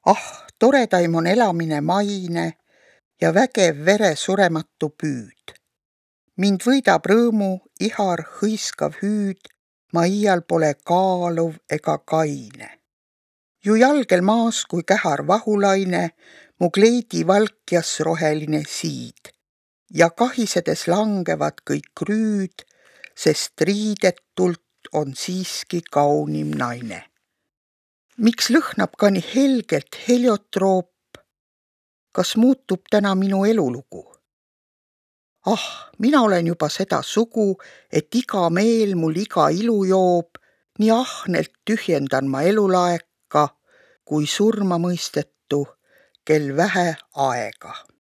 Ah, toredaim on elamine maine ja vägev vere surematu püüd. Mind võidab rõõmu ihar hõiskav hüüd, ma iial pole kaaluv ega kaine. Ju jalgel maas kui kähar vahulaine, mu kleidi valkjas roheline siid ja kahisedes langevad kõik rüüd, sest riidetult on siiski kaunim naine. Miks lõhnab ka nii helgelt heliotroop? Kas muutub täna minu elulugu? Ah, mina olen juba seda sugu, et iga meel mul iga ilu joob, nii ahnelt tühjendan ma elulaeka, kui surma mõistetu, kel vähe aega.